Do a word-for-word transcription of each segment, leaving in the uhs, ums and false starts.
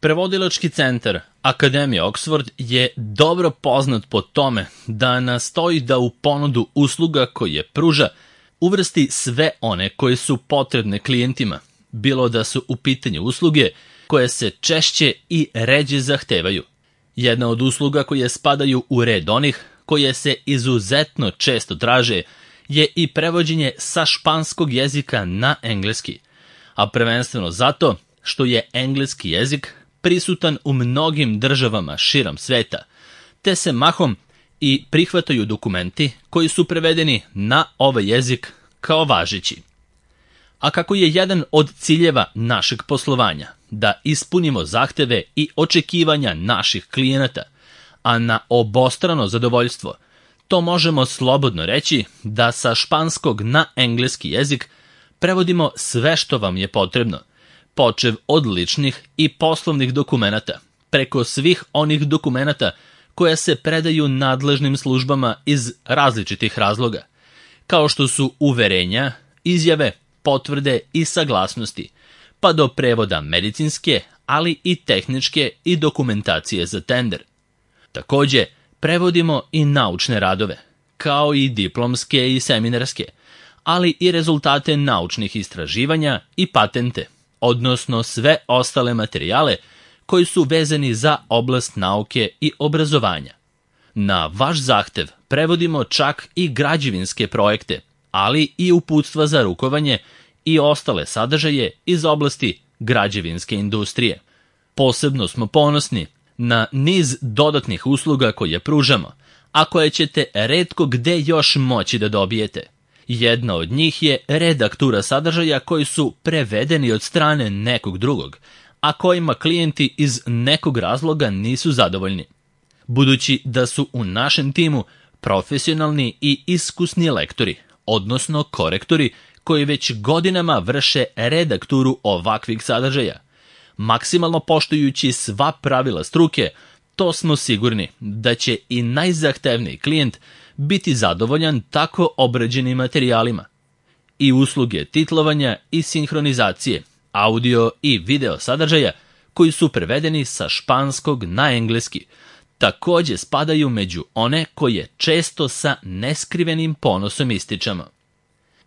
Prevodilački centar Akademije Oxford je dobro poznat po tome da nastoji da u ponudu usluga koje pruža uvrsti sve one koje su potrebne klijentima, bilo da su u pitanju usluge koje se češće i ređe zahtevaju. Jedna od usluga koje spadaju u red onih koje se izuzetno često traže je i prevođenje sa španskog jezika na engleski, a prvenstveno zato što je engleski jezik prisutan u mnogim državama širom sveta, te se mahom i prihvataju dokumenti koji su prevedeni na ovaj jezik kao važeći. A kako je jedan od ciljeva našeg poslovanja da ispunimo zahteve i očekivanja naših klijenata, a na obostrano zadovoljstvo, to možemo slobodno reći da sa španskog na engleski jezik prevodimo sve što vam je potrebno, počev od ličnih i poslovnih dokumenata, preko svih onih dokumenata koja se predaju nadležnim službama iz različitih razloga, kao što su uverenja, izjave, potvrde i saglasnosti, pa do prevoda medicinske, ali i tehničke i dokumentacije za tender. Takođe, prevodimo i naučne radove, kao i diplomske i seminarske, ali i rezultate naučnih istraživanja i patente, odnosno sve ostale materijale koji su vezani za oblast nauke i obrazovanja. Na vaš zahtev prevodimo čak i građevinske projekte, ali i uputstva za rukovanje i ostale sadržaje iz oblasti građevinske industrije. Posebno smo ponosni na niz dodatnih usluga koje pružamo, a koje ćete retko gde još moći da dobijete. Jedna od njih je redaktura sadržaja koji su prevedeni od strane nekog drugog, a kojima klijenti iz nekog razloga nisu zadovoljni. Budući da su u našem timu profesionalni i iskusni lektori, odnosno korektori, koji već godinama vrše redakturu ovakvih sadržaja, maksimalno poštujući sva pravila struke, to smo sigurni da će i najzahtevniji klijent biti zadovoljan tako obrađenim materijalima. I usluge titlovanja i sinhronizacije, audio i video sadržaja koji su prevedeni sa španskog na engleski, takođe spadaju među one koje često sa neskrivenim ponosom ističemo.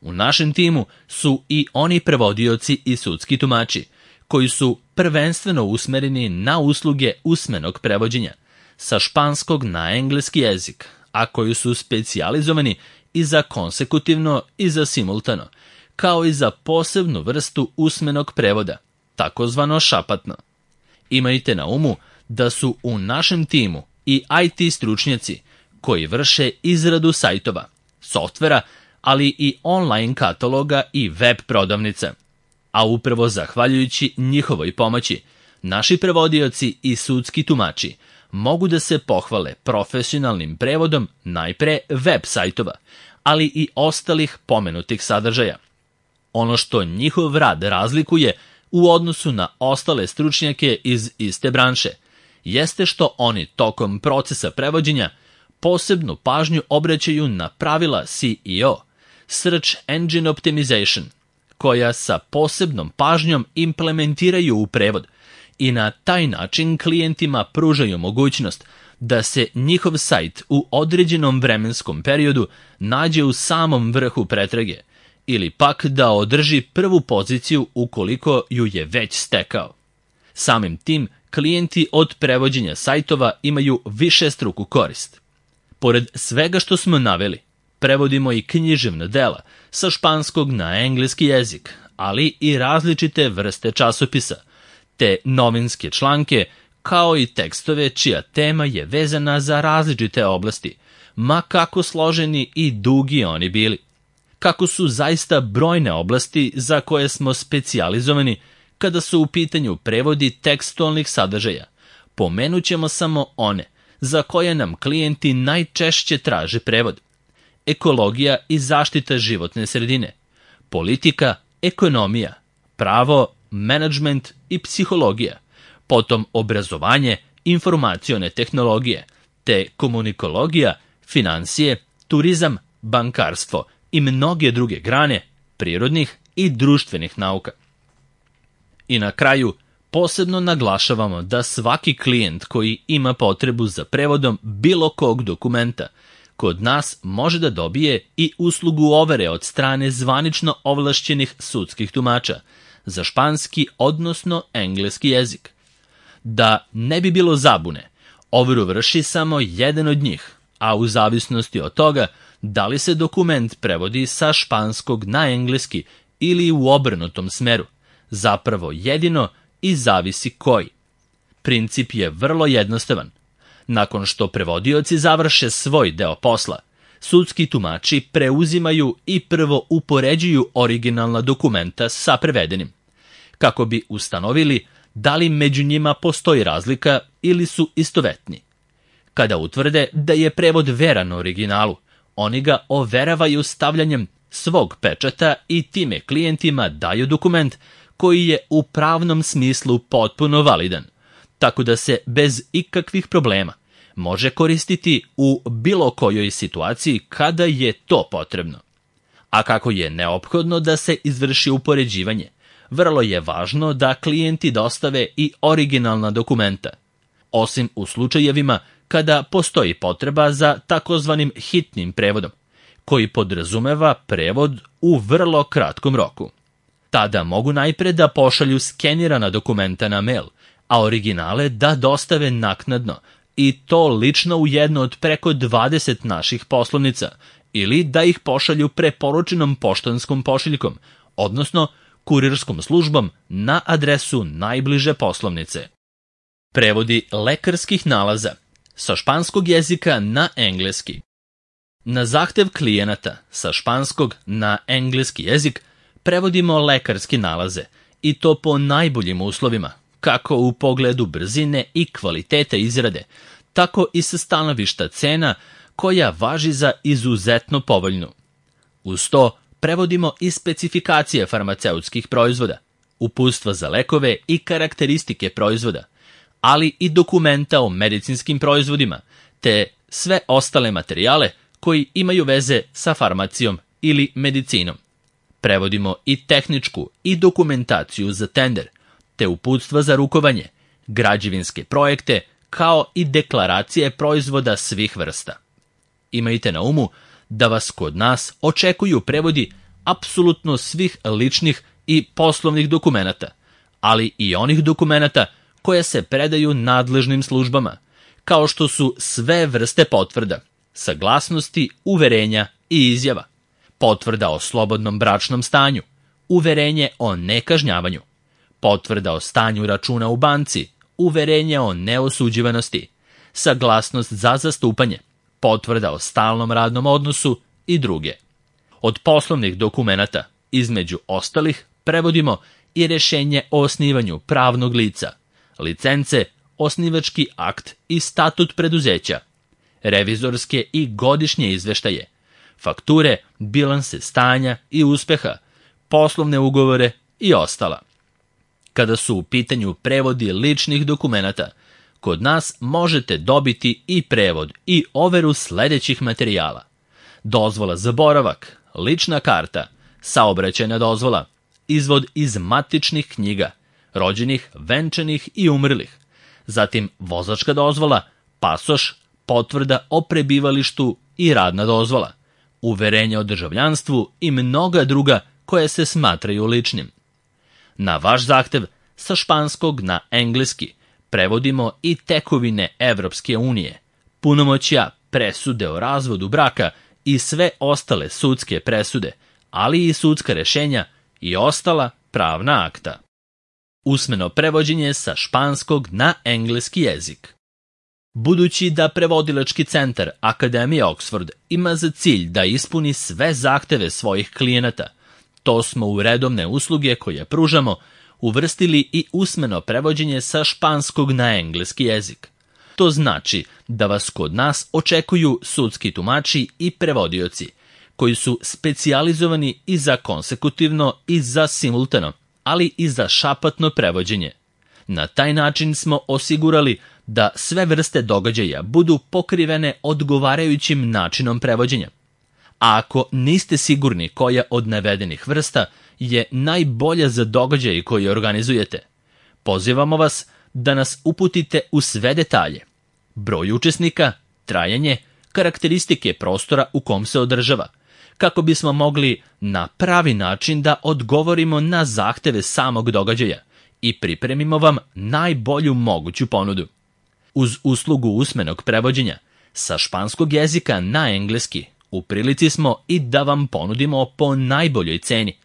U našem timu su i oni prevodioci i sudski tumači, koji su prvenstveno usmereni na usluge usmenog prevođenja, sa španskog na engleski jezik, a koji su specijalizovani i za konsekutivno i za simultano, kao i za posebnu vrstu usmenog prevoda, takozvano šapatno. Imajte na umu da su u našem timu i I T stručnjaci koji vrše izradu sajtova, softvera, ali i online kataloga i web prodavnica. A upravo zahvaljujući njihovoj pomoći, naši prevodioci i sudski tumači mogu da se pohvale profesionalnim prevodom najpre web sajtova, ali i ostalih pomenutih sadržaja. Ono što njihov rad razlikuje u odnosu na ostale stručnjake iz iste branše, jeste što oni tokom procesa prevođenja posebnu pažnju obraćaju na pravila S E O, Search Engine Optimization, koja sa posebnom pažnjom implementiraju u prevod i na taj način klijentima pružaju mogućnost da se njihov sajt u određenom vremenskom periodu nađe u samom vrhu pretrage ili pak da održi prvu poziciju ukoliko ju je već stekao. Samim tim, klijenti od prevođenja sajtova imaju višestruku korist. Pored svega što smo naveli, prevodimo i književna dela sa španskog na engleski jezik, ali i različite vrste časopisa, te novinske članke, kao i tekstove čija tema je vezana za različite oblasti, ma kako složeni i dugi oni bili. Kako su zaista brojne oblasti za koje smo specijalizovani kada su u pitanju prevodi tekstualnih sadržaja, pomenut ćemo samo one za koje nam klijenti najčešće traže prevod: ekologija i zaštita životne sredine, politika, ekonomija, pravo, menadžment i psihologija, potom obrazovanje, informacione tehnologije, te komunikologija, financije, turizam, bankarstvo i mnoge druge grane prirodnih i društvenih nauka. I na kraju, posebno naglašavamo da svaki klijent koji ima potrebu za prevodom bilo kog dokumenta kod nas može da dobije i uslugu overe od strane zvanično ovlašćenih sudskih tumača za španski, odnosno engleski jezik. Da ne bi bilo zabune, overu vrši samo jedan od njih, a u zavisnosti od toga da li se dokument prevodi sa španskog na engleski ili u obrnutom smeru, zapravo jedino i zavisi koji. Princip je vrlo jednostavan. Nakon što prevodioci završe svoj deo posla, sudski tumači preuzimaju i prvo upoređuju originalna dokumenta sa prevedenim, kako bi ustanovili da li među njima postoji razlika ili su istovetni. Kada utvrde da je prevod veran originalu, oni ga overavaju stavljanjem svog pečata i time klijentima daju dokument koji je u pravnom smislu potpuno validan, tako da se bez ikakvih problema može koristiti u bilo kojoj situaciji kada je to potrebno. A kako je neophodno da se izvrši upoređivanje, vrlo je važno da klijenti dostave i originalna dokumenta, osim u slučajevima kada postoji potreba za takozvanim hitnim prevodom, koji podrazumeva prevod u vrlo kratkom roku. Tada mogu najpre da pošalju skenirana dokumenta na mail, a originale da dostave naknadno, i to lično u jedno od preko dvadeset naših poslovnica, ili da ih pošalju preporučenom poštanskom pošiljkom, odnosno kurirskom službom na adresu najbliže poslovnice. Prevodi lekarskih nalaza sa španskog jezika na engleski. Na zahtev klijenata sa španskog na engleski jezik prevodimo lekarske nalaze, i to po najboljim uslovima, kako u pogledu brzine i kvalitete izrade, tako i sa stanovišta cena koja važi za izuzetno povoljnu. Uz to prevodimo i specifikacije farmaceutskih proizvoda, uputstva za lekove i karakteristike proizvoda, ali i dokumenta o medicinskim proizvodima, te sve ostale materijale koji imaju veze sa farmacijom ili medicinom. Prevodimo i tehničku i dokumentaciju za tender, te uputstva za rukovanje, građevinske projekte, kao i deklaracije proizvoda svih vrsta. Imajte na umu da vas kod nas očekuju prevodi apsolutno svih ličnih i poslovnih dokumenata, ali i onih dokumenata koje se predaju nadležnim službama, kao što su sve vrste potvrda, saglasnosti, uverenja i izjava, potvrda o slobodnom bračnom stanju, uverenje o nekažnjavanju, potvrda o stanju računa u banci, uverenje o neosuđivanosti, saglasnost za zastupanje, potvrda o stalnom radnom odnosu i druge. Od poslovnih dokumenata, između ostalih, prevodimo i rješenje o osnivanju pravnog lica, licence, osnivački akt i statut preduzeća, revizorske i godišnje izveštaje, fakture, bilanse stanja i uspeha, poslovne ugovore i ostala. Kada su u pitanju prevodi ličnih dokumenata, kod nas možete dobiti i prevod i overu sledećih materijala: dozvola za boravak, lična karta, saobraćajna dozvola, izvod iz matičnih knjiga, rođenih, venčanih i umrlih, zatim vozačka dozvola, pasoš, potvrda o prebivalištu i radna dozvola, uverenje o državljanstvu i mnoga druga koje se smatraju ličnim. Na vaš zahtev, sa španskog na engleski, prevodimo i tekovine Evropske unije, punomoćja, presude o razvodu braka i sve ostale sudske presude, ali i sudska rešenja i ostala pravna akta. Usmeno prevođenje sa španskog na engleski jezik. Budući da prevodilački centar Akademije Oxford ima za cilj da ispuni sve zahteve svojih klijenata, to smo u redovne usluge koje pružamo uvrstili i usmeno prevođenje sa španskog na engleski jezik. To znači da vas kod nas očekuju sudski tumači i prevodioci, koji su specijalizovani i za konsekutivno i za simultano, ali i za šapatno prevođenje. Na taj način smo osigurali da sve vrste događaja budu pokrivene odgovarajućim načinom prevođenja. A ako niste sigurni koja od navedenih vrsta je najbolja za događaj koji organizujete, Pozivamo vas da nas uputite u sve detalje. Broj učesnika, trajanje, karakteristike prostora u kom se održava, kako bismo mogli na pravi način da odgovorimo na zahteve samog događaja i pripremimo vam najbolju moguću ponudu. Uz uslugu usmenog prevođenja sa španskog jezika na engleski, u prilici smo i da vam ponudimo po najboljoj ceni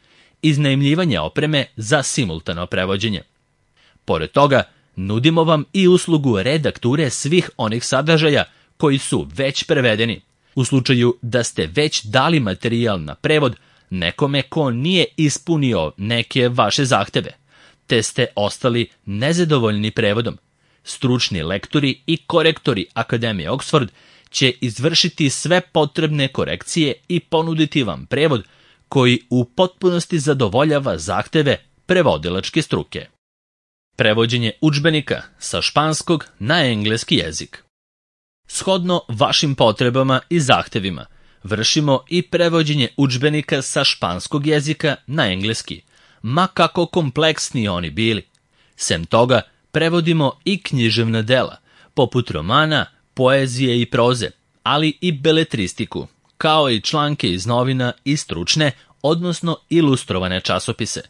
iznajmljivanje opreme za simultano prevođenje. Pored toga, nudimo vam i uslugu redakture svih onih sadržaja koji su već prevedeni, u slučaju da ste već dali materijal na prevod nekome ko nije ispunio neke vaše zahteve, te ste ostali nezadovoljni prevodom. Stručni lektori i korektori Akademije Oxford će izvršiti sve potrebne korekcije i ponuditi vam prevod koji u potpunosti zadovoljava zahteve prevodilačke struke. Prevođenje udžbenika sa španskog na engleski jezik. Shodno vašim potrebama i zahtevima, vršimo i prevođenje udžbenika sa španskog jezika na engleski, ma kako kompleksni oni bili. Sem toga, prevodimo i književna dela, poput romana, poezije i proze, ali i beletristiku, kao i članke iz novina i stručne, odnosno ilustrovane časopise.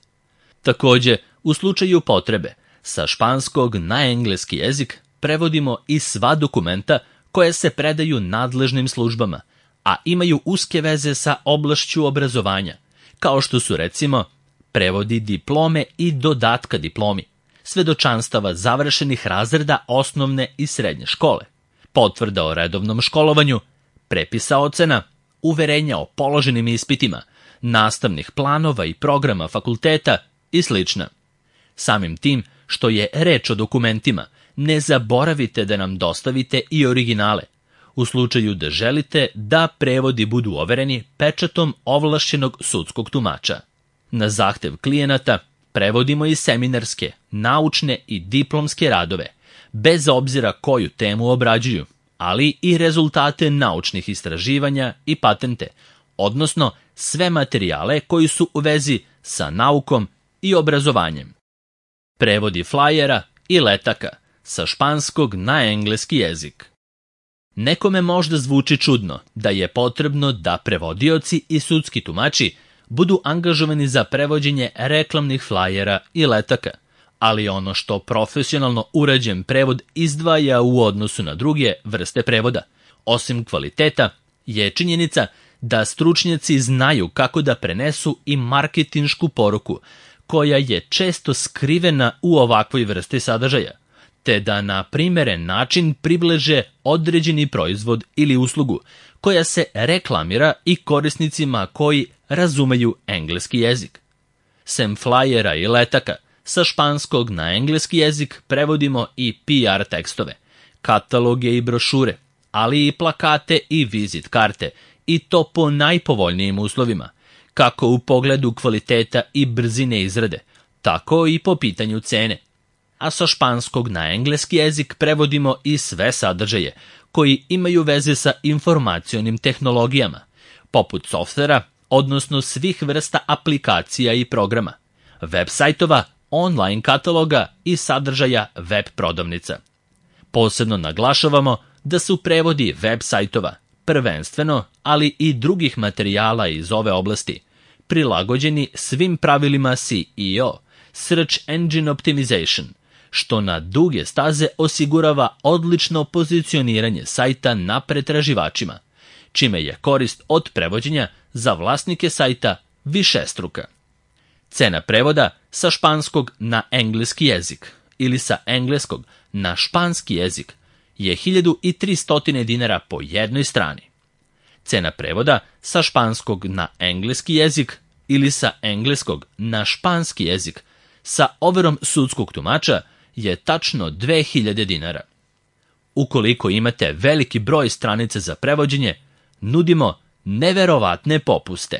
Takođe, u slučaju potrebe, sa španskog na engleski jezik prevodimo i sva dokumenta koje se predaju nadležnim službama, a imaju uske veze sa oblašću obrazovanja, kao što su recimo prevodi diplome i dodatka diplomi, svedočanstava završenih razreda osnovne i srednje škole, potvrda o redovnom školovanju, prepisa ocena, uverenja o položenim ispitima, nastavnih planova i programa fakulteta i sl. Samim tim što je reč o dokumentima, ne zaboravite da nam dostavite i originale, u slučaju da želite da prevodi budu overeni pečatom ovlašćenog sudskog tumača. Na zahtev klijenata prevodimo i seminarske, naučne i diplomske radove, bez obzira koju temu obrađuju, ali i rezultate naučnih istraživanja i patente, odnosno sve materijale koji su u vezi sa naukom i obrazovanjem. Prevodi flajera i letaka sa španskog na engleski jezik. Nekome možda zvuči čudno da je potrebno da prevodioci i sudski tumači budu angažovani za prevođenje reklamnih flajera i letaka, ali ono što profesionalno urađen prevod izdvaja u odnosu na druge vrste prevoda, osim kvaliteta, je činjenica da stručnjaci znaju kako da prenesu i marketinšku poruku, koja je često skrivena u ovakvoj vrsti sadržaja, te da na primeren način približe određeni proizvod ili uslugu koja se reklamira i korisnicima koji razumeju engleski jezik. Sem flajera i letaka, sa španskog na engleski jezik prevodimo i P R tekstove, kataloge i brošure, ali i plakate i vizit karte, i to po najpovoljnijim uslovima, kako u pogledu kvaliteta i brzine izrade, tako i po pitanju cene. A sa španskog na engleski jezik prevodimo i sve sadržaje koji imaju veze sa informacionim tehnologijama, poput softvera, odnosno svih vrsta aplikacija i programa, web sajtova, online kataloga i sadržaja web prodavnica. Posebno naglašavamo da su prevodi web sajtova, prvenstveno, ali i drugih materijala iz ove oblasti, prilagođeni svim pravilima S E O, Search Engine Optimization, što na duge staze osigurava odlično pozicioniranje sajta na pretraživačima, čime je korist od prevođenja za vlasnike sajta višestruka. Cena prevoda sa španskog na engleski jezik ili sa engleskog na španski jezik je hiljadu tristo dinara po jednoj strani. Cena prevoda sa španskog na engleski jezik ili sa engleskog na španski jezik sa overom sudskog tumača je tačno dve hiljade dinara. Ukoliko imate veliki broj stranica za prevođenje, nudimo neverovatne popuste.